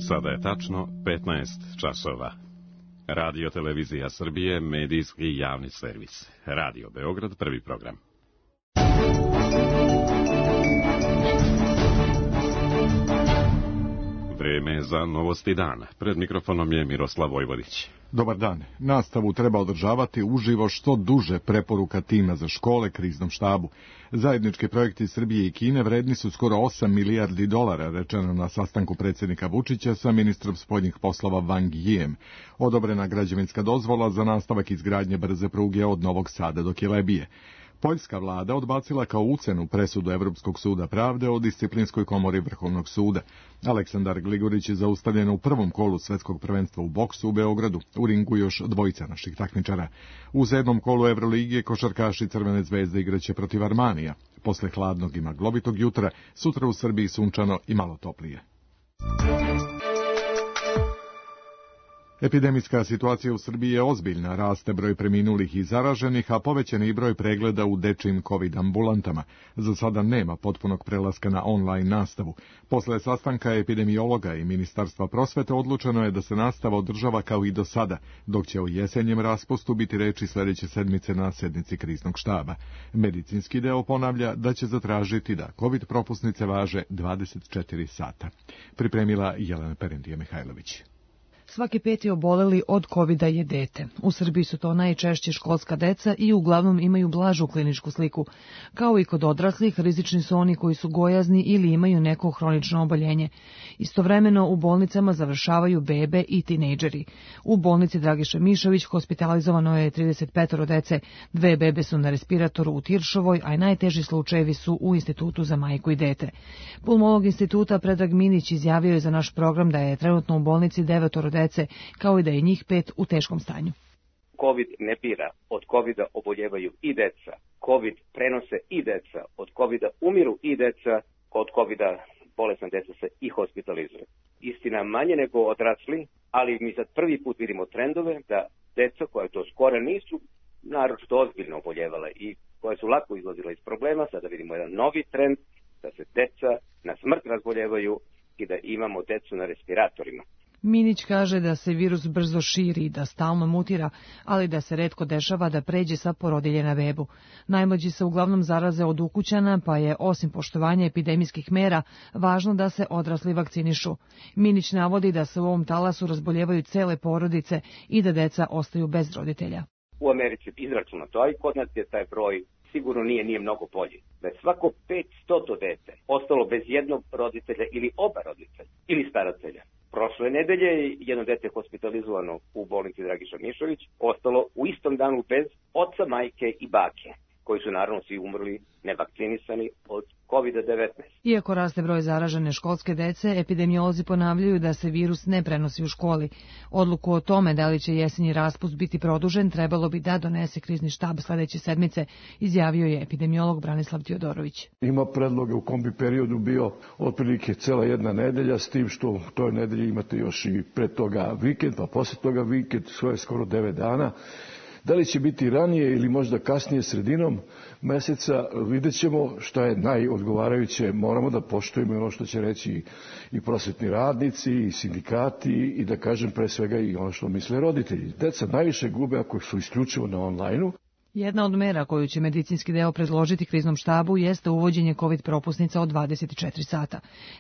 Sada je tačno 15 časova. Radio Televizija Srbije, medijski javni servis. Radio Beograd, prvi program. Vreme za novosti dana. Pred mikrofonom je Miroslav Vojvodić. Dobar dan. Nastavu treba održavati uživo što duže, preporuka tima za škole kriznom štabu. Zajednički projekti Srbije i Kine vredni su skoro 8 milijardi dolara, rečeno na sastanku predsjednika Vučića sa ministrom spoljnih poslova Wang Yijem. Odobrena građevinska dozvola za nastavak izgradnje brze pruge od Novog Sada do Kilebije. Poljska vlada odbacila kao ucenu presudu Evropskog suda pravde o disciplinskoj komori Vrhovnog suda. Aleksandar Gligorić je zaustavljen u prvom kolu svetskog prvenstva u boksu u Beogradu. U ringu još dvojica naših takmičara. U 7. kolu Evrolige košarkaši Crvene zvezde igraće protiv Armanija. Posle hladnog i maglovitog jutra, sutra u Srbiji sunčano i malo toplije. Epidemijska situacija u Srbiji je ozbiljna, raste broj preminulih i zaraženih, a povećan je i broj pregleda u dečijim COVID ambulantama. Za sada nema potpunog prelaska na online nastavu. Posle sastanka epidemiologa i Ministarstva prosvete odlučeno je da se nastava održava kao i do sada, dok će o jesenjem raspustu biti reči sljedeće sedmice na sednici kriznog štaba. Medicinski deo ponavlja da će zatražiti da COVID propusnice važe 24 sata. Pripremila Jelena Perentije-Mihajlović. Svaki peti oboleli od COVID-a je dete. U Srbiji su to najčešće školska deca i uglavnom imaju blažu kliničku sliku. Kao i kod odraslih, rizični su oni koji su gojazni ili imaju neko hronično oboljenje. Istovremeno u bolnicama završavaju bebe i tinejdžeri. U bolnici Dragiša Mišović hospitalizovano je 35 dece, 2 bebe su na respiratoru u Tiršovoj, a najteži slučajevi su u Institutu za majku i dete. Pulmolog instituta Predrag Minić izjavio je za naš program da je trenutno u bolnici 9 dece, kao i da je njih 5 u teškom stanju. COVID ne bira, od COVID-a oboljevaju i deca, COVID prenose i deca, od COVID-a umiru i deca, od COVID-a bolesna deca se i hospitalizuju. Istina manje nego odrasli, ali mi sad prvi put vidimo trendove da deca koja to skoro nisu naročito ozbiljno oboljevala i koja su lako izlazila iz problema, sada vidimo jedan novi trend da se deca na smrt razboljevaju i da imamo decu na respiratorima. Minić kaže da se virus brzo širi i da stalno mutira, ali da se retko dešava da pređe sa porodilje na bebu. Najmlađi se uglavnom zaraze od ukućana, pa je osim poštovanja epidemijskih mera važno da se odrasli vakcinišu. Minić navodi da se u ovom talasu razboljevaju cele porodice i da deca ostaju bez roditelja. U Americi izračunato, a i kod nas je taj broj sigurno nije mnogo bolji. Da je svako 500 dete ostalo bez jednog roditelja ili oba roditelja ili staratelja. Prošle nedelje jedno dete hospitalizovano u bolnici Dragiša Mišović ostalo u istom danu bez oca, majke i bake, koji su naravno svi umrli nevakcinisani od COVID-19. Iako raste broj zaražene školske dece, epidemiolozi ponavljaju da se virus ne prenosi u školi. Odluku o tome da li će jesenji raspust biti produžen trebalo bi da donese krizni štab sledeće sedmice, izjavio je epidemiolog Branislav Teodorović. Ima predloge u kom bi periodu bio otprilike cela jedna nedelja, s tim što u toj nedelji imate još i pre toga vikend, pa posle toga vikend, svoje skoro 9 dana. Da li će biti ranije ili možda kasnije sredinom meseca, vidjet ćemo šta je najodgovarajuće. Moramo da poštujemo ono što će reći i prosvetni radnici, i sindikati, i da kažem pre svega i ono što misle roditelji. Deca najviše gube ako su isključivo na online-u. Jedna od mera koju će medicinski deo predložiti kriznom štabu jeste uvođenje COVID propusnica od 24 sata.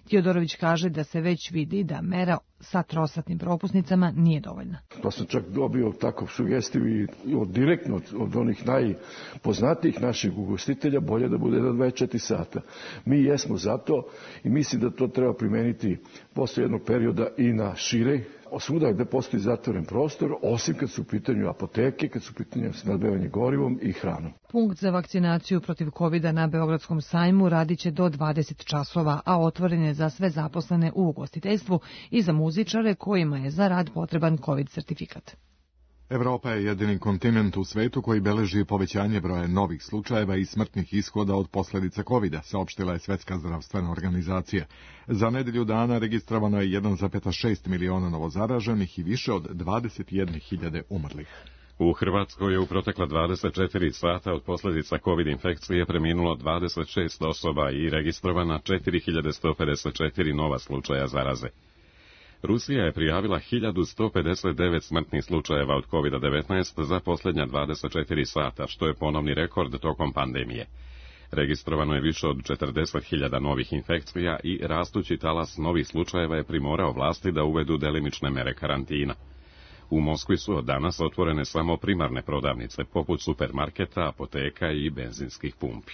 Teodorović kaže da se već vidi da mera sa trosatnim propusnicama nije dovoljna. Pa sam čak dobio takav sugestiju i direktno od onih najpoznatijih naših ugostitelja, bolje da bude na 24 sata. Mi jesmo za to i mislim da to treba primeniti posle jednog perioda i na šire, svuda gde postoji zatvoren prostor, osim kad su u pitanju apoteke, kad su u pitanju snabdevanje gorivom i hranom. Punkt za vakcinaciju protiv COVID-a na Beogradskom sajmu radiće do 20 časova, a otvoren je za sve zaposlene u ugostiteljstvu i za muzičare kojima je za rad potreban COVID sertifikat. Evropa je jedini kontinent u svetu koji beleži povećanje broja novih slučajeva i smrtnih ishoda od posljedica COVID-a, saopštila je Svetska zdravstvena organizacija. Za nedelju dana registrovano je 1,6 miliona novozaraženih i više od 21.000 umrlih. U Hrvatskoj je u protekla 24 sata od posljedica COVID infekcije preminulo 26 osoba i registrovana 4154 nova slučaja zaraze. Rusija je prijavila 1159 smrtnih slučajeva od COVID-19 za posljednja 24 sata, što je ponovni rekord tokom pandemije. Registrovano je više od 40.000 novih infekcija i rastući talas novih slučajeva je primorao vlasti da uvedu delimične mere karantina. U Moskvi su od danas otvorene samo primarne prodavnice, poput supermarketa, apoteka i benzinskih pumpi.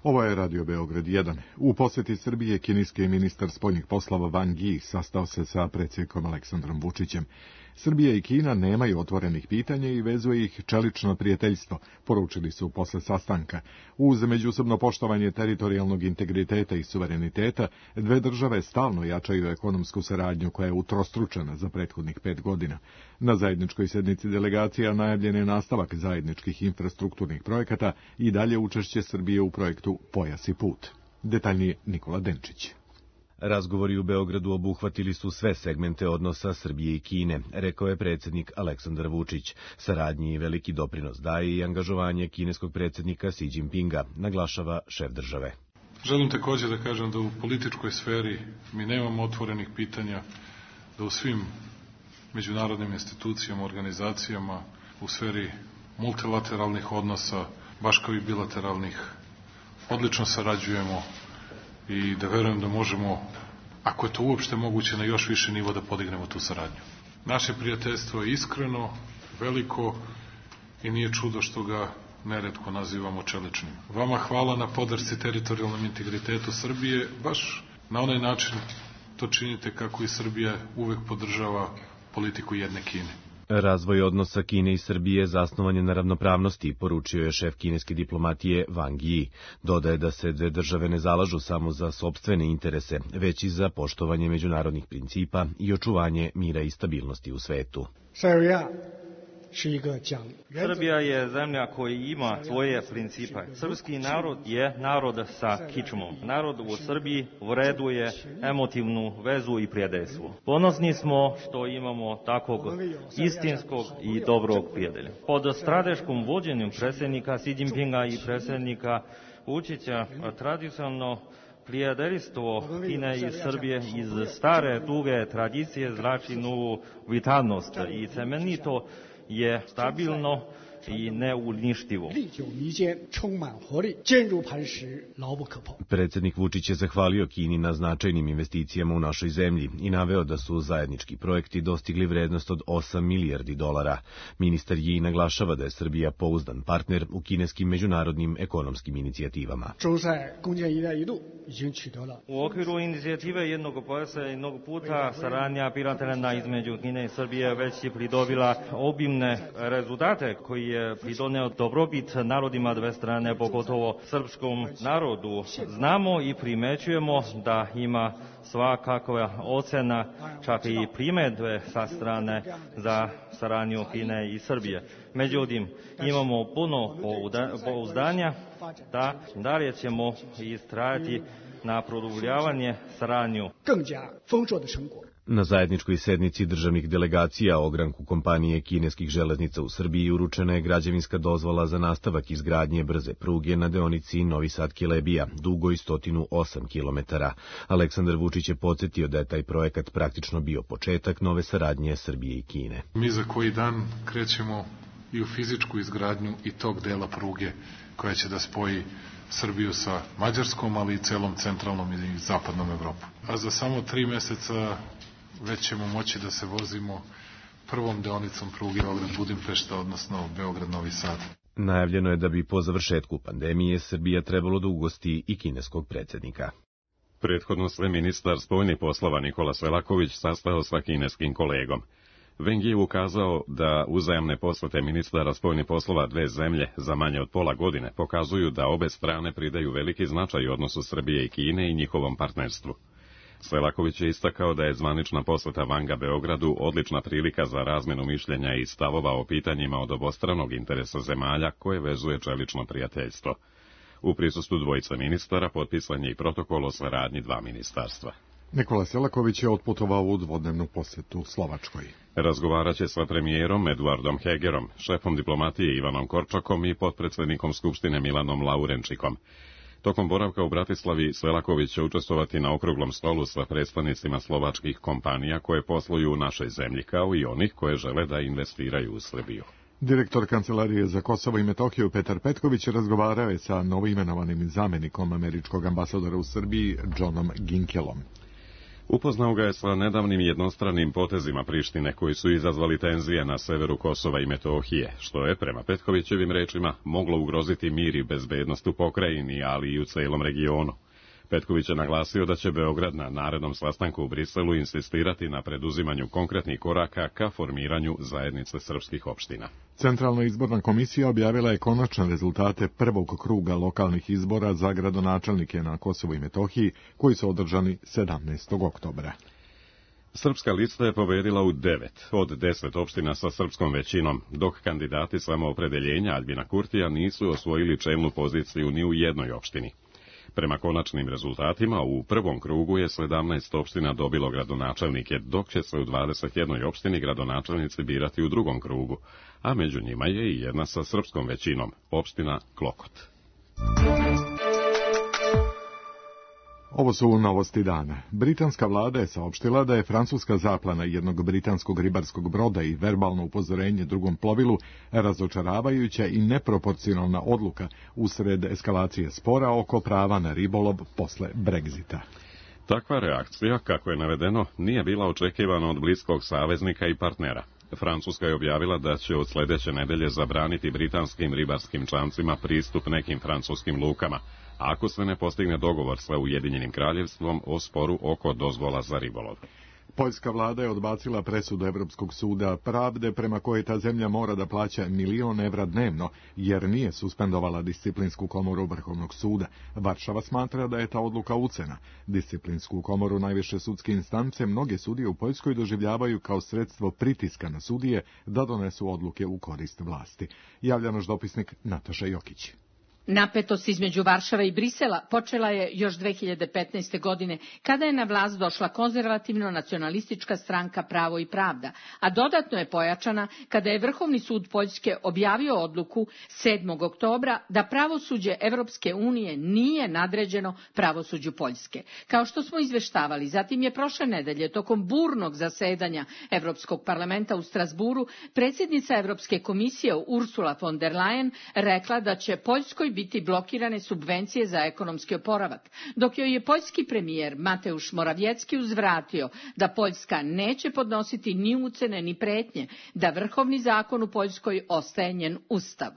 Ovo je Radio Beograd 1. U posjeti Srbije kineski ministar spoljnih poslova Wang Yi sastao se sa predsjednikom Aleksandrom Vučićem. Srbija i Kina nemaju otvorenih pitanja i vezuje ih čelično prijateljstvo, poručili su posle sastanka. Uz međusobno poštovanje teritorijalnog integriteta i suvereniteta, dve države stalno jačaju ekonomsku saradnju koja je utrostručena za prethodnih 5 godina. Na zajedničkoj sednici delegacija najavljen je nastavak zajedničkih infrastrukturnih projekata i dalje učešće Srbije u projektu Pojas i put. Detaljnije Nikola Denčić. Razgovori u Beogradu obuhvatili su sve segmente odnosa Srbije i Kine, rekao je predsjednik Aleksandar Vučić. Saradnji i veliki doprinos daje i angažovanje kineskog predsjednika Xi Jinpinga, naglašava šef države. Želim također da kažem da u političkoj sferi mi nemamo otvorenih pitanja, da u svim međunarodnim institucijama, organizacijama, u sferi multilateralnih odnosa, baš kao i bilateralnih, odlično sarađujemo i da verujem da možemo, ako je to uopšte moguće, na još više nivo da podignemo tu saradnju. Naše prijateljstvo je iskreno, veliko i nije čudo što ga neretko nazivamo čeličnim. Vama hvala na podršci teritorijalnom integritetu Srbije, baš na onaj način to činite kako i Srbija uvek podržava politiku jedne Kine. Razvoj odnosa Kine i Srbije zasnovan je na ravnopravnosti, poručio je šef kineske diplomatije Wang Yi. Dodaje da se dve države ne zalažu samo za sopstvene interese, već i za poštovanje međunarodnih principa i očuvanje mira i stabilnosti u svetu. Srbija je zemlja koja ima svoje principe. Srpski narod je narod sa kičmom. Narod u Srbiji vreduje emotivnu vezu i prijateljstvo. Ponosni smo što imamo takvog istinskog i dobrog prijatelja. Pod strateškom vođenjem predsjednika Xi Jinpinga i predsjednika Vučića tradicionalno prijateljstvo Kine i Srbije iz stare duge tradicije zrači novu vitalnost i cemenito je stabilno i neuništivo. Predsjednik Vučić je zahvalio Kini na značajnim investicijama u našoj zemlji i naveo da su zajednički projekti dostigli vrednost od 8 milijardi dolara. Ministar Yi naglašava da je Srbija pouzdan partner u kineskim međunarodnim ekonomskim inicijativama. U okviru inicijative jednog pojasa i jednog puta saradnja bilateralna između Kine i Srbije već je pridobila obimne rezultate koji je pridoneo dobrobit narodima dve strane, pogotovo srpskom narodu. Znamo i primećujemo da ima svakakva ocena, čak i primedbe sa strane za saradnju Kine i Srbije. Međutim, imamo puno pouzdanja da dalje ćemo istrajati na produbljavanje saradnju. Na zajedničkoj sednici državnih delegacija o ogranku kompanije kineskih železnica u Srbiji uručena je građevinska dozvola za nastavak izgradnje brze pruge na deonici Novi Sad-Kilebija, dugoj 108 km. Aleksandar Vučić je podsjetio da je taj projekat praktično bio početak nove saradnje Srbije i Kine. Mi za koji dan krećemo i u fizičku izgradnju i tog dela pruge koja će da spoji Srbiju sa Mađarskom, ali i celom centralnom i zapadnom Evropom. A za samo 3 meseca već ćemo moći da se vozimo prvom deonicom pruge Beograd-Budimpešta, odnosno Beograd-Novi Sad. Najavljeno je da bi po završetku pandemije Srbija trebalo da ugosti i kineskog predsjednika. Prethodno se ministar spoljnih poslova Nikola Selaković sastao sa kineskim kolegom. Wang Yi ukazao da uzajamne posvete ministara spoljnih poslova dve zemlje za manje od pola godine pokazuju da obe strane pridaju veliki značaj odnosu Srbije i Kine i njihovom partnerstvu. Selaković je istakao da je zvanična posveta Wanga Beogradu odlična prilika za razmjenu mišljenja i stavova o pitanjima od obostranog interesa zemalja koje vezuje čelično prijateljstvo. U prisustvu dvojice ministara potpisan je i protokol o saradnji dva ministarstva. Nikola Selaković je otputovao u dvodnevnu posjetu Slovačkoj. Razgovarat će sa premijerom Eduardom Hegerom, šefom diplomatije Ivanom Korčakom i potpredsjednikom Skupštine Milanom Laurenčikom. Tokom boravka u Bratislavi Selaković će učestvovati na okruglom stolu sa predstavnicima slovačkih kompanija koje posluju u našoj zemlji, kao i onih koje žele da investiraju u Srbiju. Direktor Kancelarije za Kosovo i Metohiju Petar Petković razgovarao je sa novoimenovanim zamenikom američkog ambasadora u Srbiji Johnom Ginkelom. Upoznao ga je sa nedavnim jednostranim potezima Prištine koji su izazvali tenzije na severu Kosova i Metohije, što je, prema Petkovićevim rečima, moglo ugroziti mir i bezbednost u pokrajini, ali i u celom regionu. Petković je naglasio da će Beograd na narednom sastanku u Briselu insistirati na preduzimanju konkretnih koraka ka formiranju zajednice srpskih opština. Centralna izborna komisija objavila je konačne rezultate prvog kruga lokalnih izbora za gradonačelnike na Kosovu i Metohiji, koji su održani 17. oktobra. Srpska lista je pobedila u 9 od 10 opština sa srpskom većinom, dok kandidati samoopredeljenja Aljbina Kurtija nisu osvojili čelnu poziciju ni u jednoj opštini. Prema konačnim rezultatima, u prvom krugu je 17 opština dobilo gradonačelnike, dok će se u 21 opštini gradonačelnici birati u drugom krugu, a među njima je i jedna sa srpskom većinom, opština Klokot. Ovo su novosti dana. Britanska vlada je saopštila da je francuska zaplana jednog britanskog ribarskog broda i verbalno upozorenje drugom plovilu razočaravajuća i neproporcionalna odluka usred eskalacije spora oko prava na ribolov posle Brexita. Takva reakcija, kako je navedeno, nije bila očekivana od bliskog saveznika i partnera. Francuska je objavila da će od sledeće nedelje zabraniti britanskim ribarskim čamcima pristup nekim francuskim lukama, ako se ne postigne dogovor sa Ujedinjenim kraljevstvom o sporu oko dozvola za ribolov. Poljska vlada je odbacila presudu Evropskog suda pravde prema kojoj ta zemlja mora da plaća 1.000.000 evra dnevno, jer nije suspendovala disciplinsku komoru Vrhovnog suda. Varšava smatra da je ta odluka ucena. Disciplinsku komoru najviše sudske instance mnoge sudije u Poljskoj doživljavaju kao sredstvo pritiska na sudije da donesu odluke u korist vlasti. Javlja naš dopisnik Nataša Jokić. Napetost između Varšave i Brisela počela je još 2015. godine, kada je na vlast došla konzervativno-nacionalistička stranka Pravo i pravda, a dodatno je pojačana kada je Vrhovni sud Poljske objavio odluku 7. oktobra da pravosuđe Evropske unije nije nadređeno pravosuđu Poljske. Kao što smo izveštavali, zatim je prošle nedelje tokom burnog zasedanja Evropskog parlamenta u Strasburu predsjednica Evropske komisije Ursula von der Leyen rekla da će Poljskoj biti blokirane subvencije za ekonomski oporavak, dok joj je poljski premijer Mateusz Morawiecki uzvratio da Poljska neće podnositi ni ucene ni pretnje, da vrhovni zakon u Poljskoj ostaje njen ustav.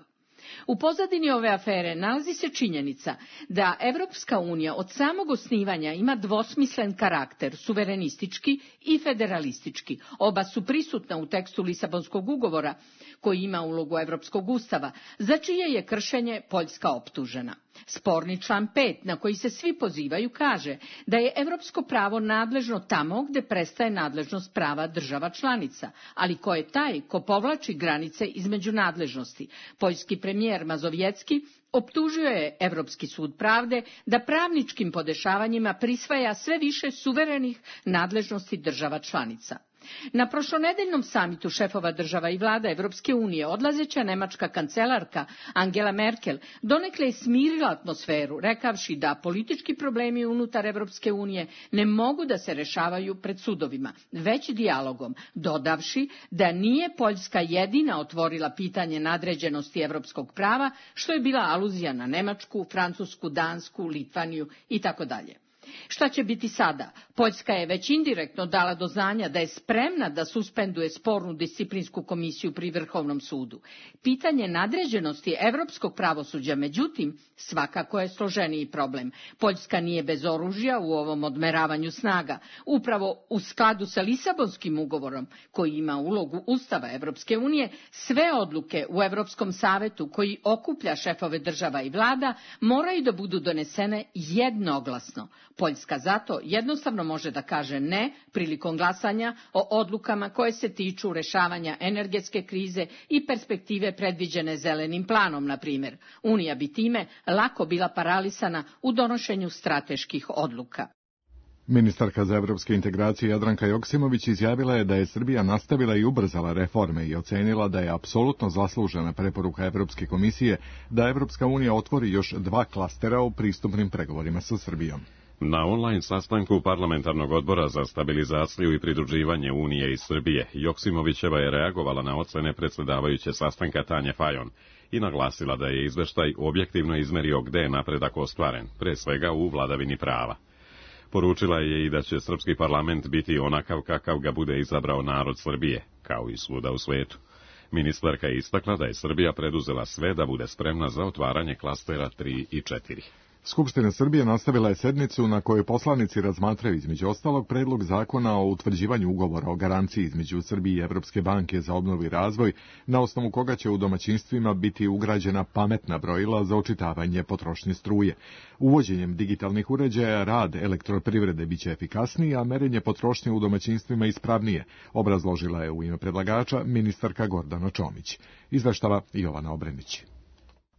U pozadini ove afere nalazi se činjenica da Evropska unija od samog osnivanja ima dvosmislen karakter, suverenistički i federalistički. Oba su prisutna u tekstu Lisabonskog ugovora, koji ima ulogu Evropskog ustava, za čije je kršenje Poljska optužena. Sporni član 5, na koji se svi pozivaju, kaže da je evropsko pravo nadležno tamo gde prestaje nadležnost prava država članica, ali ko je taj ko povlači granice između nadležnosti? Poljski premijer Mazowiecki optužio je Evropski sud pravde da pravničkim podešavanjima prisvaja sve više suverenih nadležnosti država članica. Na prošlonedeljnom samitu šefova država i vlada Evropske unije odlazeća nemačka kancelarka Angela Merkel donekle je smirila atmosferu, rekavši da politički problemi unutar Evropske unije ne mogu da se rešavaju pred sudovima, već dijalogom, dodavši da nije Poljska jedina otvorila pitanje nadređenosti evropskog prava, što je bila aluzija na Nemačku, Francusku, Dansku, Litvaniju itd. Šta će biti sada? Poljska je već indirektno dala do znanja da je spremna da suspenduje spornu disciplinsku komisiju pri Vrhovnom sudu. Pitanje nadređenosti evropskog pravosuđa, međutim, svakako je složeniji problem. Poljska nije bez oružja u ovom odmeravanju snaga. Upravo u skladu sa Lisabonskim ugovorom, koji ima ulogu Ustava Evropske unije, sve odluke u Evropskom savetu koji okuplja šefove država i vlada moraju da budu donesene jednoglasno. Poljska zato jednostavno može da kaže ne prilikom glasanja o odlukama koje se tiču rešavanja energetske krize i perspektive predviđene zelenim planom, na primjer. Unija bi time lako bila paralisana u donošenju strateških odluka. Ministarka za evropske integracije Jadranka Joksimović izjavila je da je Srbija nastavila i ubrzala reforme i ocenila da je apsolutno zaslužena preporuka Evropske komisije da Evropska unija otvori još 2 klastera u pristupnim pregovorima sa Srbijom. Na online sastanku Parlamentarnog odbora za stabilizaciju i pridruživanje Unije i Srbije, Joksimovićeva je reagovala na ocene predsjedavajuće sastanka Tanje Fajon i naglasila da je izveštaj objektivno izmerio gde je napredak ostvaren, pre svega u vladavini prava. Poručila je i da će srpski parlament biti onakav kakav ga bude izabrao narod Srbije, kao i svuda u svetu. Ministarka je istakla da je Srbija preduzela sve da bude spremna za otvaranje klastera 3 i 4. Skupština Srbije nastavila je sednicu na kojoj poslanici razmatraju između ostalog predlog zakona o utvrđivanju ugovora o garanciji između Srbije i Evropske banke za obnovu i razvoj, na osnovu koga će u domaćinstvima biti ugrađena pametna brojila za očitavanje potrošnje struje. Uvođenjem digitalnih uređaja rad elektroprivrede biće efikasniji, a merenje potrošnje u domaćinstvima ispravnije, obrazložila je u ime predlagača ministarka Gordana Čomić. Izveštava Jovana Obrenić.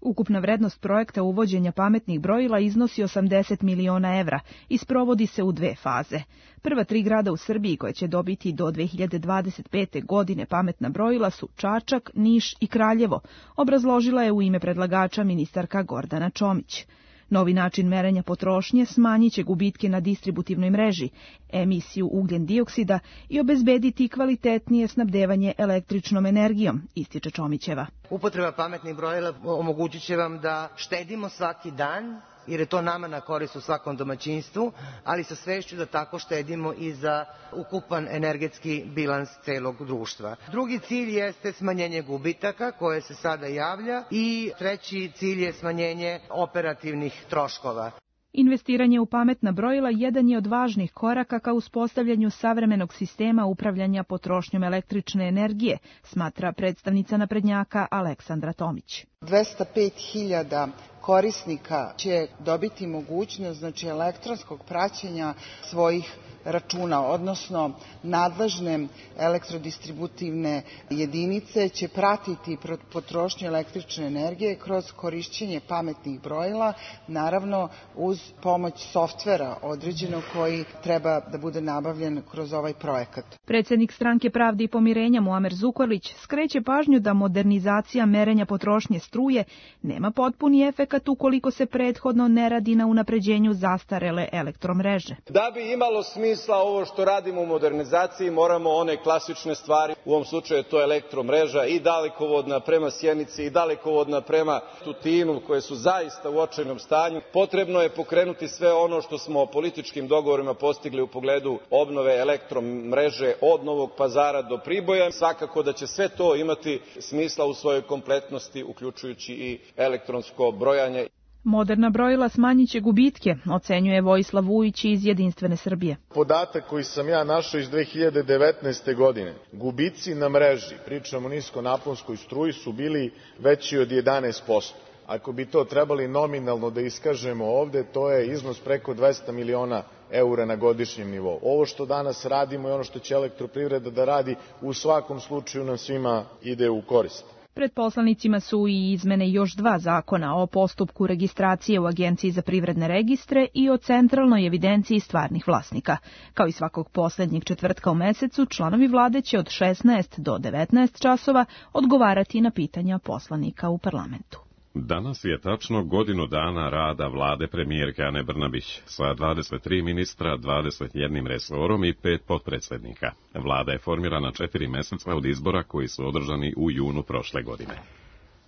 Ukupna vrednost projekta uvođenja pametnih brojila iznosi 80 miliona evra i sprovodi se u 2 faze. Prva 3 grada u Srbiji koje će dobiti do 2025. godine pametna brojila su Čačak, Niš i Kraljevo, obrazložila je u ime predlagača ministarka Gordana Čomić. Novi način merenja potrošnje smanjit će gubitke na distributivnoj mreži, emisiju ugljen dioksida i obezbediti kvalitetnije snabdevanje električnom energijom, ističe Čomićeva. Upotreba pametnih brojila omogućit će vam da štedimo svaki dan, jer je to nama na korist u svakom domaćinstvu, ali sa svešću da tako štedimo i za ukupan energetski bilans celog društva. Drugi cilj jeste smanjenje gubitaka koje se sada javlja i treći cilj je smanjenje operativnih troškova. Investiranje u pametna brojila jedan je od važnih koraka ka uspostavljanju savremenog sistema upravljanja potrošnjom električne energije, smatra predstavnica naprednjaka Aleksandra Tomić. 205.000 korisnika će dobiti mogućnost elektronskog praćenja svojih računa, odnosno nadležne elektrodistributivne jedinice će pratiti potrošnju električne energije kroz korišćenje pametnih brojila, naravno uz pomoć softvera određenog koji treba da bude nabavljen kroz ovaj projekat. Predsjednik Stranke pravde i pomirenja Muamer Zukorlić skreće pažnju da modernizacija merenja potrošnje struje nema potpuni efekat ukoliko se prethodno ne radi na unapređenju zastarele elektromreže. Da bi imalo smisla ovo što radimo u modernizaciji, moramo one klasične stvari, u ovom slučaju to je elektromreža i dalekovodna prema Sjenici i dalekovodna prema Tutinu, koje su zaista u očajnom stanju. Potrebno je pokrenuti sve ono što smo političkim dogovorima postigli u pogledu obnove elektromreže od Novog Pazara do Priboja. Svakako da će sve to imati smisla u svojoj kompletnosti, uključujući i elektronsko brojanje. Moderna brojila smanjit će gubitke, ocenjuje Vojislav Vujić iz Jedinstvene Srbije. Podatak koji sam ja našao iz 2019. godine, gubici na mreži, pričamo o niskonaponskoj struji, su bili veći od 11%. Ako bi to trebali nominalno da iskažemo ovde, to je iznos preko 200 miliona eura na godišnjem nivou. Ovo što danas radimo i ono što će elektroprivreda da radi, u svakom slučaju nam svima ide u korist. Pred poslanicima su i izmene još 2 zakona o postupku registracije u Agenciji za privredne registre i o centralnoj evidenciji stvarnih vlasnika. Kao i svakog poslednjeg četvrtka u mesecu, članovi vlade će od 16 do 19 časova odgovarati na pitanja poslanika u parlamentu. Danas je tačno godinu dana rada vlade premijerke Ane Brnabić sa 23 ministra, 21 resorom i 5 potpredsednika. Vlada je formirana 4 meseca od izbora koji su održani u junu prošle godine.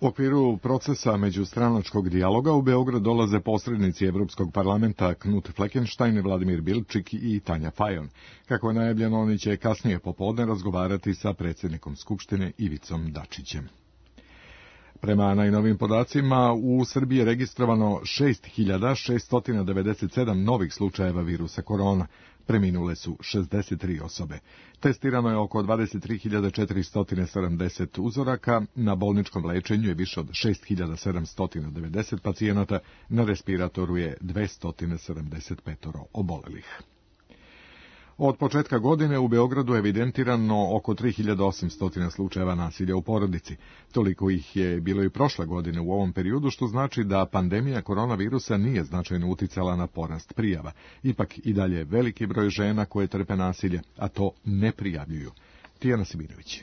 U okviru procesa međustranačkog dijaloga u Beograd dolaze posrednici Evropskog parlamenta Knut Fleckenstein, Vladimir Bilčik i Tanja Fajon. Kako je najavljeno, oni će kasnije popodne razgovarati sa predsjednikom Skupštine Ivicom Dačićem. Prema najnovim podacima, u Srbiji je registrovano 6.697 novih slučajeva virusa korona. Preminule su 63 osobe. Testirano je oko 23.470 uzoraka, na bolničkom lečenju je više od 6.790 pacijenata, na respiratoru je 275 obolelih. Od početka godine u Beogradu je evidentirano oko 3800 slučajeva nasilja u porodici. Toliko ih je bilo i prošle godine u ovom periodu, što znači da pandemija koronavirusa nije značajno uticala na porast prijava. Ipak i dalje veliki broj žena koje trpe nasilje, a to ne prijavljuju. Tijana Simirović.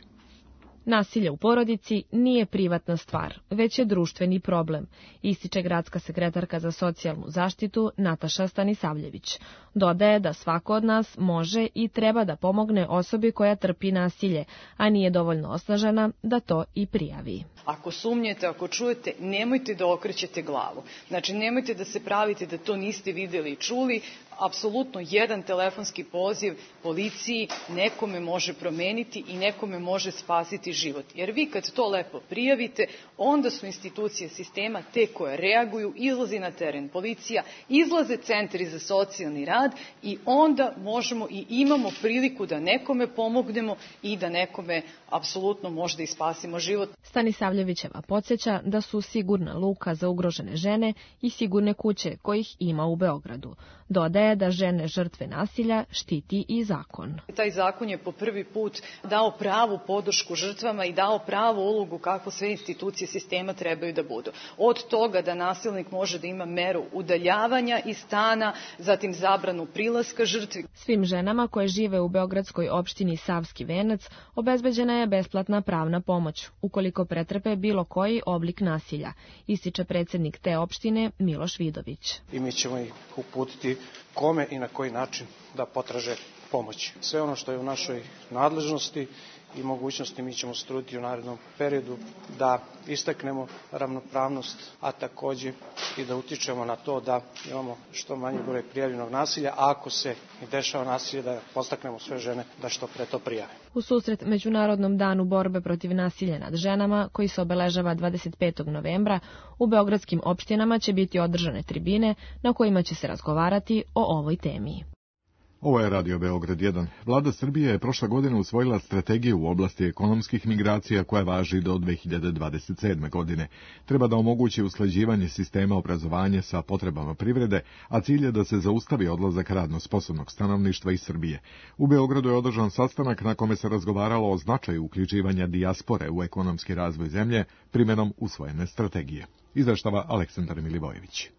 Nasilje u porodici nije privatna stvar, već je društveni problem, ističe gradska sekretarka za socijalnu zaštitu Nataša Stanisavljević. Dodaje da svako od nas može i treba da pomogne osobi koja trpi nasilje, a nije dovoljno osnažena da to i prijavi. Ako sumnjete, ako čujete, nemojte da okrećete glavu. Znači, nemojte da se pravite da to niste videli i čuli. Apsolutno jedan telefonski poziv policiji nekome može promeniti i nekome može spasiti život. Jer vi kad to lepo prijavite, onda su institucije sistema te koje reaguju, izlazi na teren policija, izlaze centri za socijalni rad i onda možemo i imamo priliku da nekome pomognemo i da nekome apsolutno možda i spasimo život. Stanisavljevićeva podsjeća da su sigurna luka za ugrožene žene i sigurne kuće kojih ima u Beogradu. Dodaje da žene žrtve nasilja štiti i zakon. Taj zakon je po prvi put dao pravu podršku žrtvama i dao pravu ulogu kako sve institucije sistema trebaju da budu. Od toga da nasilnik može da ima meru udaljavanja iz stana, zatim zabranu prilaska žrtvi. Svim ženama koje žive u beogradskoj opštini Savski Venac obezbeđena je besplatna pravna pomoć, ukoliko pretrpe bilo koji oblik nasilja, ističe predsjednik te opštine Miloš Vidović. I mi ćemo ih uputiti kome i na koji način da potraže pomoć. Sve ono što je u našoj nadležnosti i mogućnosti mi ćemo se truditi u narednom periodu da istaknemo ravnopravnost, a takođe i da utičemo na to da imamo što manji broj prijavljenog nasilja, a ako se i dešava nasilje da podstaknemo sve žene da što pre to prijave. U susret Međunarodnom danu borbe protiv nasilja nad ženama, koji se obeležava 25. novembra, u beogradskim opštinama će biti održane tribine na kojima će se razgovarati o ovoj temi. Ovo je Radio Beograd 1. Vlada Srbije je prošle godine usvojila strategiju u oblasti ekonomskih migracija koja važi do 2027. godine. Treba da omogući usklađivanje sistema obrazovanja sa potrebama privrede, a cilj je da se zaustavi odlazak radno sposobnog stanovništva iz Srbije. U Beogradu je održan sastanak na kome se razgovaralo o značaju uključivanja dijaspore u ekonomski razvoj zemlje primenom usvojene strategije. Izveštava Aleksandar Milivojević.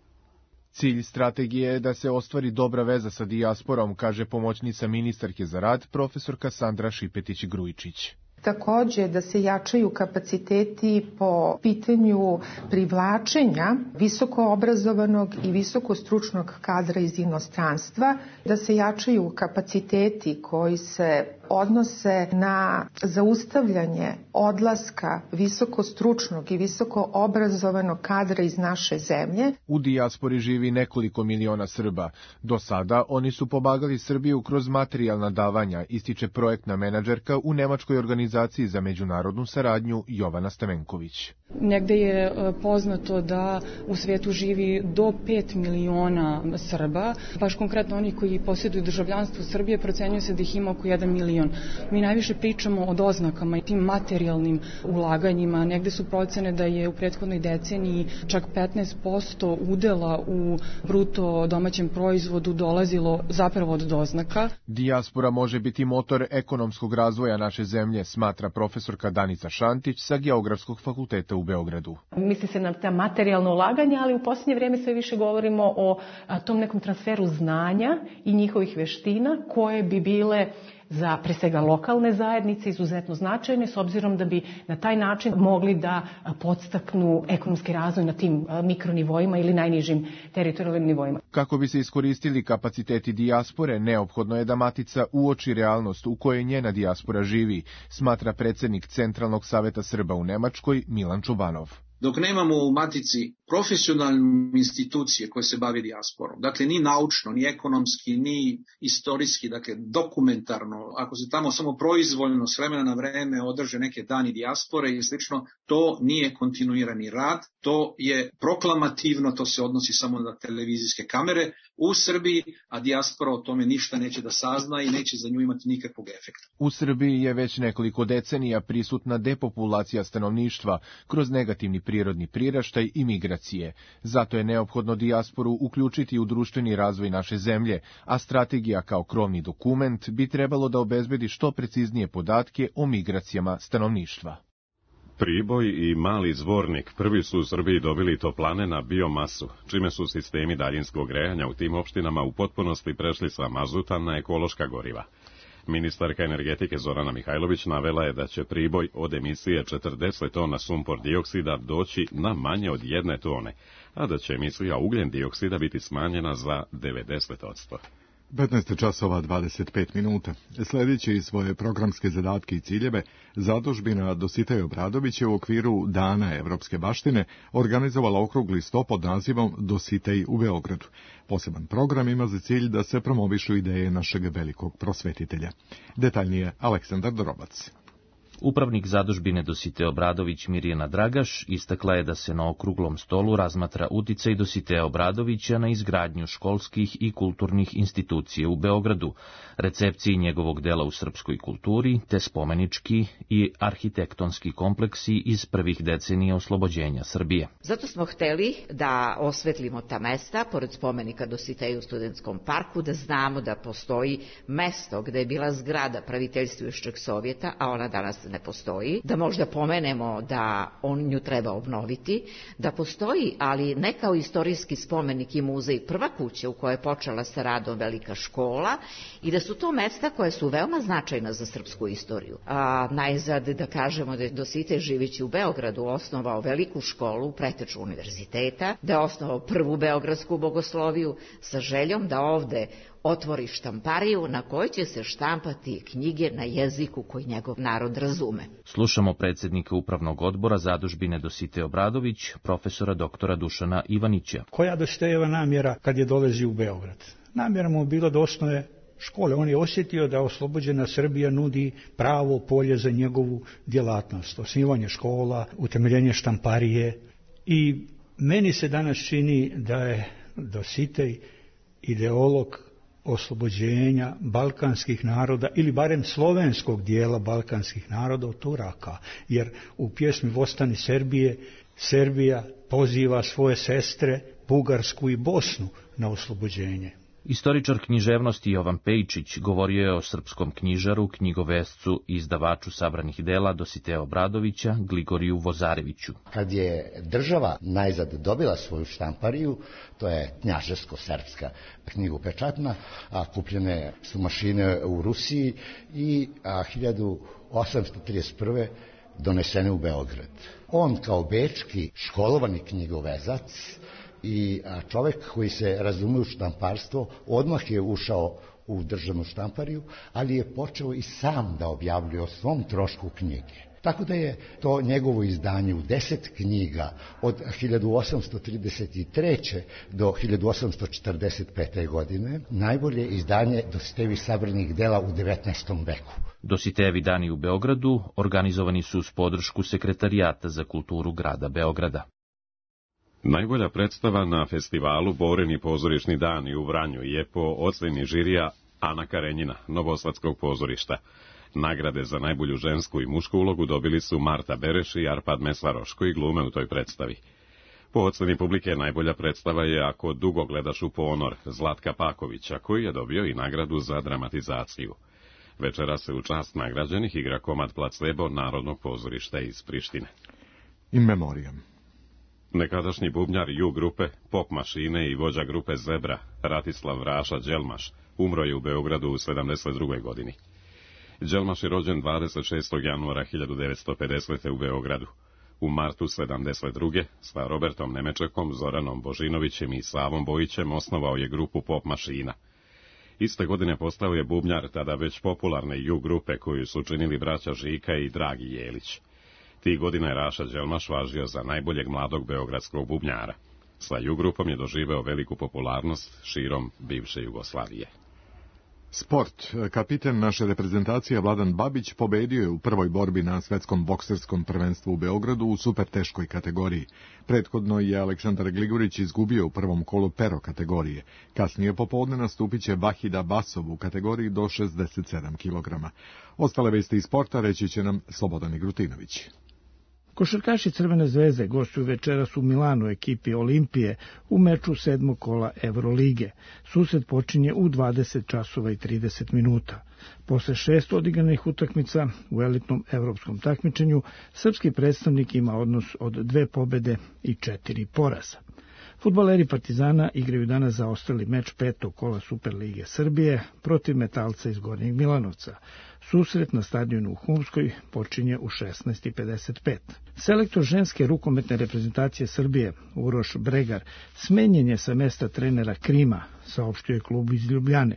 Cilj strategije je da se ostvari dobra veza sa dijasporom, kaže pomoćnica ministarke za rad, profesorka Sandra Šipetić-Grujičić. Takođe da se jačaju kapaciteti po pitanju privlačenja visoko obrazovanog i visoko stručnog kadra iz inostranstva, da se jačaju kapaciteti koji se odnose na zaustavljanje odlaska visoko stručnog i visoko obrazovanog kadra iz naše zemlje. U dijaspori živi nekoliko miliona Srba. Do sada oni su pomagali Srbiju kroz materijalna davanja, ističe projektna menadžerka u nemačkoj organizaciji za međunarodnu saradnju Jovana Stamenković. Negde je poznato da u svetu živi do 5 miliona Srba, baš konkretno oni koji posjeduju državljanstvo Srbije, procenjuje se da ih ima oko 1 milion. Mi najviše pričamo o doznakama i tim materijalnim ulaganjima. Negde su procene da je u prethodnoj deceniji čak 15% udela u bruto domaćem proizvodu dolazilo zapravo od doznaka. Dijaspora može biti motor ekonomskog razvoja naše zemlje, smatra profesorka Danica Šantić sa Geografskog fakulteta u Beogradu. Misli se na ta materijalna ulaganja, ali u posljednje vrijeme sve više govorimo o tom nekom transferu znanja i njihovih veština koje bi bile za pre svega lokalne zajednice izuzetno značajne, s obzirom da bi na taj način mogli da podstaknu ekonomski razvoj na tim mikronivoima ili najnižim teritorijalnim nivoima. Kako bi se iskoristili kapaciteti dijaspore, neophodno je da Matica uoči realnost u kojoj njena dijaspora živi, smatra predsjednik Centralnog saveta Srba u Nemačkoj Milan Čubanov. Dok nemamo u Matici profesionalne institucije koje se bave dijasporom, dakle ni naučno, ni ekonomski, ni istorijski, dakle dokumentarno, ako se tamo samo proizvoljno s vremena na vreme održe neke dani dijaspore i slično, to nije kontinuirani rad, to je proklamativno, to se odnosi samo na televizijske kamere u Srbiji, a dijaspora o tome ništa neće da sazna i neće za nju imati nikakvog efekta. U Srbiji je već nekoliko decenija prisutna depopulacija stanovništva kroz negativni prirodni priraštaj i migracije. Zato je neophodno dijasporu uključiti u društveni razvoj naše zemlje, a strategija kao krovni dokument bi trebalo da obezbedi što preciznije podatke o migracijama stanovništva. Priboj i Mali Zvornik prvi su u Srbiji dobili toplane na biomasu, čime su sistemi daljinskog grejanja u tim opštinama u potpunosti prešli sa mazuta na ekološka goriva. Ministarka energetike Zorana Mihajlović navela je da će Priboj od emisije 40 tona sumpor dioksida doći na manje od 1 tone, a da će emisija ugljen dioksida biti smanjena za 90%. 15 časova 25 minuta. Sljedeći svoje programske zadatke i ciljeve, zadužbina Dositej Obradović je u okviru Dana evropske baštine organizovala okrugli sto pod nazivom Dositej u Beogradu. Poseban program ima za cilj da se promovišu ideje našeg velikog prosvetitelja. Detaljnije Aleksandar Dorobac. Upravnik zadužbine Dositej Obradović Mirjana Dragaš istakla je da se na okruglom stolu razmatra uticaj Dositeja Obradovića na izgradnju školskih i kulturnih institucija u Beogradu, recepciji njegovog dela u srpskoj kulturi, te spomenički i arhitektonski kompleksi iz prvih decenija oslobođenja Srbije. Zato smo hteli da osvetlimo ta mesta, pored spomenika Dositeju u Studentskom parku, da znamo da postoji mesto gde je bila zgrada praviteljstvujušćeg Sovjeta, a ona danas ne postoji, da možda pomenemo da nju treba obnoviti, da postoji, ali ne kao istorijski spomenik i muzej, prva kuća u kojoj je počela sa radom velika škola i da su to mesta koje su veoma značajna za srpsku istoriju. Najzad da kažemo da je Dositej živeći u Beogradu osnovao veliku školu, preteču univerziteta, da je osnovao prvu beogradsku bogosloviju sa željom da ovde otvori štampariju na kojoj će se štampati knjige na jeziku koji njegov narod razume. Slušamo predsjednika Upravnog odbora zadužbine Dositej Obradović, profesora doktora Dušana Ivanića. Koja Dositejeva namjera kad je dolazio u Beograd? Namjera mu je bila da osnuje škole. On je osjetio da oslobođena Srbija nudi pravo polje za njegovu djelatnost. Osnivanje škola, utemeljenje štamparije. I meni se danas čini da je Dositej ideolog oslobođenja balkanskih naroda ili barem slovenskog dijela balkanskih naroda od Turaka, jer u pjesmi Vostani Serbije Serbija poziva svoje sestre Bugarsku i Bosnu na oslobođenje. Istoričar književnosti Jovan Pejčić govorio je o srpskom knjižaru, knjigovescu i izdavaču sabranih dela Dositeja Obradovića, Gligoriju Vozareviću. Kad je država najzad dobila svoju štampariju, to je knjaževsko-srpska knjigopečatna, a kupljene su mašine u Rusiji i 1831. donesene u Beograd. On kao bečki školovani knjigovezac i čovjek koji se razume u štamparstvo odmah je ušao u državnu štampariju, ali je počeo i sam da objavljuje o svom trošku knjige. Tako da je to njegovo izdanje u 10 knjiga od 1833. do 1845. godine najbolje izdanje Dositejevih sabranih dela u 19. veku. Dositejevi dani u Beogradu organizovani su uz podršku Sekretarijata za kulturu grada Beograda. Najbolja predstava na festivalu Boreni pozorišni dani u Vranju je po oceni žirija Ana Karenjina, Novosadskog pozorišta. Nagrade za najbolju žensku i mušku ulogu dobili su Marta Bereš i Arpad Mesaroš, koji glume u toj predstavi. Po oceni publike najbolja predstava je Ako dugo gledaš u ponor Zlatka Pakovića, koji je dobio i nagradu za dramatizaciju. Večera se u čast nagrađenih igra komad Placebo Narodnog pozorišta iz Prištine. In memoriam. Nekadašnji bubnjar Ju grupe, pop mašine i vođa grupe Zebra, Ratislav Raša Đelmaš, umro je u Beogradu u 72. godini. Đelmaš je rođen 26. januara 1950. u Beogradu. U martu 72. sa Robertom Nemečekom, Zoranom Božinovićem i Savom Bojićem osnovao je grupu pop mašina. Iste godine postao je bubnjar tada već popularne Ju grupe koju su činili braća Žika i Dragi Jelić. Tih godina je Raša Đelmaš važio za najboljeg mladog beogradskog bubnjara. Sa Ju grupom je doživeo veliku popularnost širom bivše Jugoslavije. Sport. Kapiten naše reprezentacije Vladan Babić pobedio je u prvoj borbi na svetskom bokserskom prvenstvu u Beogradu u superteškoj kategoriji. Prethodno je Aleksandar Gligorić izgubio u prvom kolu pero kategorije. Kasnije popodne nastupit će Vahida Basov u kategoriji do 67 kg. Ostale vesti iz sporta reći će nam Slobodan Igrutinović. Košarkaši Crvene zvezde gostuju večeras u Milanu ekipi Olimpije u meču 7. kola Evrolige. Susret počinje u 20 časova i 30 minuta. Posle 6 odigranih utakmica u elitnom evropskom takmičenju, srpski predstavnik ima odnos od 2 pobede i 4 poraza. Fudbaleri Partizana igraju danas zaostali meč 5. kola Superlige Srbije protiv Metalca iz Gornjeg Milanovca. Susret na stadionu u Humskoj počinje u 16:55. Selektor ženske rukometne reprezentacije Srbije, Uroš Bregar, smenjen je sa mesta trenera Krima, saopštio je klub iz Ljubljane.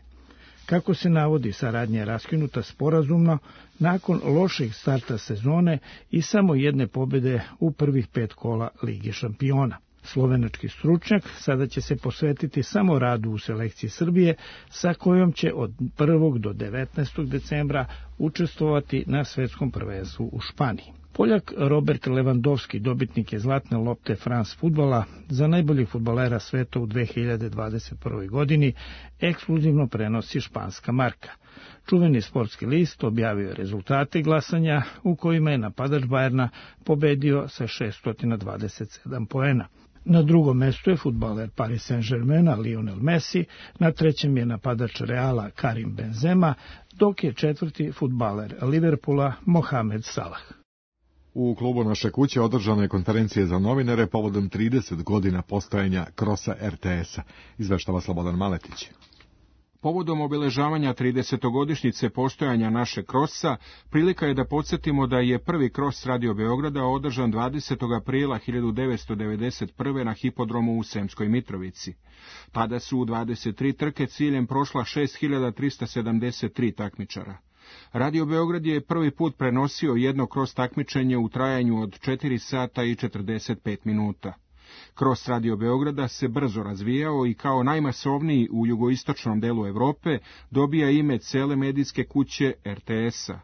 Kako se navodi, saradnja je raskinuta sporazumno nakon lošeg starta sezone i samo jedne pobede u prvih 5 kola Lige šampiona. Slovenački stručnjak sada će se posvetiti samo radu u selekciji Srbije, sa kojom će od 1. do 19. decembra učestvovati na svetskom prvenstvu u Španiji. Poljak Robert Lewandowski dobitnik je zlatne lopte France fudbala za najboljeg fudbalera sveta u 2021. godini, ekskluzivno prenosi španska marka. Čuveni sportski list objavio je rezultate glasanja u kojima je napadač Bayerna pobedio sa 627 poena. Na drugom mestu je fudbaler Paris Saint-Germaina Lionel Messi, na trećem je napadač Reala Karim Benzema, dok je četvrti fudbaler Liverpoola Mohamed Salah. U klubu Naše kuće održana je konferencija za novinare povodom 30 godina postojanja Krosa RTS-a, izveštava Slobodan Maletić. Povodom obeležavanja 30-godišnjice postojanja Naše Krosa, prilika je da podsjetimo da je prvi Kros Radio Beograda održan 20. aprila 1991. na hipodromu u Sremskoj Mitrovici. Tada su u 23 trke ciljem prošla 6373 takmičara. Radio Beograd je prvi put prenosio jedno Kros takmičenje u trajanju od 4 sata i 45 minuta. Kros Radio Beograda se brzo razvijao i kao najmasovniji u jugoistočnom delu Evrope dobija ime cele medijske kuće RTS-a.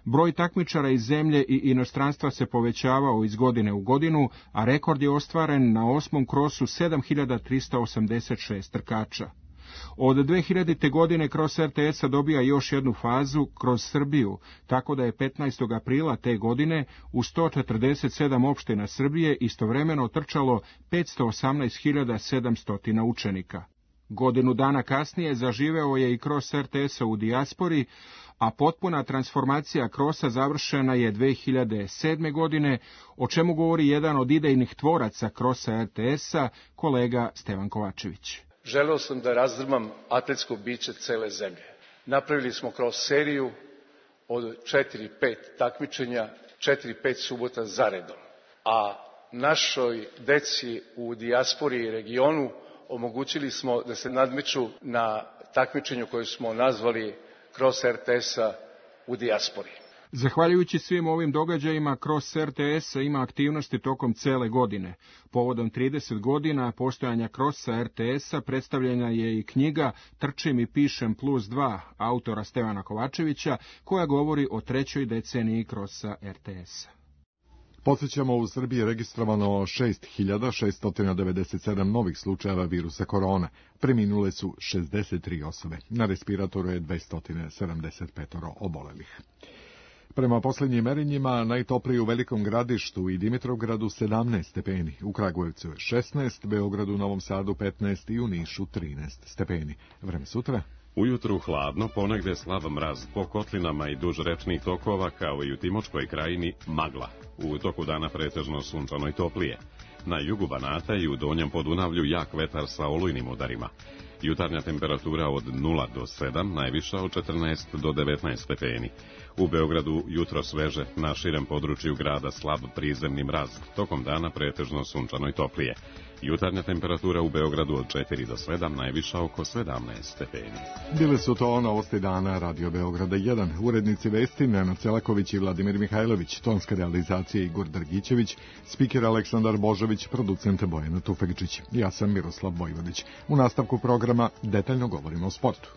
Broj takmičara iz zemlje i inostranstva se povećavao iz godine u godinu, a rekord je ostvaren na 8. krosu 7386 trkača. Od 2000. godine Kros RTS-a dobija još jednu fazu kroz Srbiju, tako da je 15. aprila te godine u 147 opština Srbije istovremeno trčalo 518.700 učenika. Godinu dana kasnije zaživeo je i Kros RTS-a u dijaspori, a potpuna transformacija Krosa završena je 2007. godine, o čemu govori jedan od idejnih tvoraca Krosa RTS-a, kolega Stevan Kovačević. Želeo sam da razdrmam atletsko biće cele zemlje. Napravili smo kroz seriju od 4-5 takmičenja, 4-5 subota zaredom. A našoj deci u dijaspori i regionu omogućili smo da se nadmeću na takmičenju koje smo nazvali Kroz RTS-a u dijaspori. Zahvaljujući svim ovim događajima, Kros RTS-a ima aktivnosti tokom cele godine. Povodom 30 godina postojanja Krosa RTS-a predstavljena je i knjiga Trčim i pišem +2 autora Stevana Kovačevića, koja govori o 3. deceniji Krosa RTS-a. Podsjećamo, u Srbiji je registrovano 6.697 novih slučajeva virusa korona. Preminule su 63 osobe. Na respiratoru je 275 obolelih. Prema posljednjim merenjima, najtoplije u Velikom Gradištu i Dimitrovgradu 17 stepeni, u Kragujevcu je 16, Beogradu, Novom Sadu 15 i u Nišu 13 stepeni. Vreme sutra? Ujutru hladno, ponegde slab mraz, po kotlinama i duž rečnih tokova, kao i u Timočkoj krajini, magla. U toku dana pretežno sunčano i toplije. Na jugu Banata i u Donjem Podunavlju jak vetar sa olujnim udarima. Jutarnja temperatura od 0 do 7, najviša od 14 do 19 stepeni. U Beogradu jutro sveže, na širem području grada slab prizemni mraz, tokom dana pretežno sunčano i toplije. Jutarnja temperatura u Beogradu od 4 do 7, najviša oko 17 stepeni. Bile su to novosti dana Radio Beograda 1. Urednici vesti Nenad Celaković i Vladimir Mihajlović, tonska realizacija Igor Drgićević, spiker Aleksandar Božović, producent Bojana Tufekčić. Ja sam Miroslav Vojvodić. U nastavku programa detaljno govorimo o sportu.